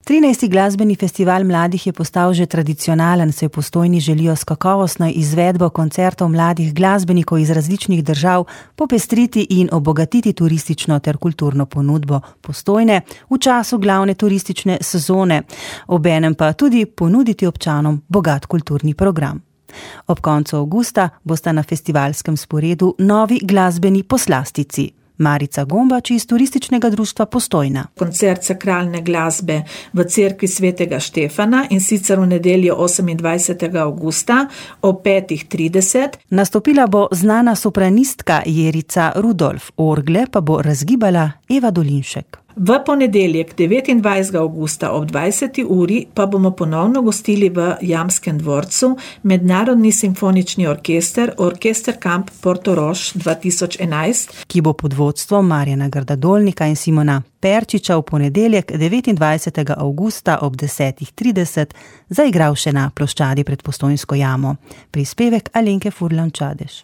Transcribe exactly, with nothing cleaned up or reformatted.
trinajsti glasbeni festival mladih je postal že tradicionalen, saj v Postojni želijo s kakovostno izvedbo koncertov mladih glasbenikov iz različnih držav popestriti in obogatiti turistično ter kulturno ponudbo Postojne v času glavne turistične sezone, obenem pa tudi ponuditi občanom bogat kulturni program. Ob koncu avgusta bosta na festivalskem sporedu novi glasbeni poslastici. Marica Gombač iz Turističnega društva Postojna. Koncert sakralne glasbe v cerkvi svetega Štefana in sicer v nedeljo osemindvajsetega avgusta ob petih trideset. Nastopila bo znana sopranistka Jerica Rudolf, orgle pa bo razgibala Eva Dolinšek. V ponedeljek devetindvajsetega avgusta ob dvajseti uri pa bomo ponovno gostili v Jamskem dvorcu Mednarodni simfonični orkester, Orkester Kamp Portorož dva tisoč enajst, ki bo pod vodstvom Marjana Grdadolnika in Simona Perčiča v ponedeljek devetindvajsetega avgusta ob desetih trideset zaigral še na ploščadi pred Postojnsko jamo. Prispevek Alenke Furlan Čadež.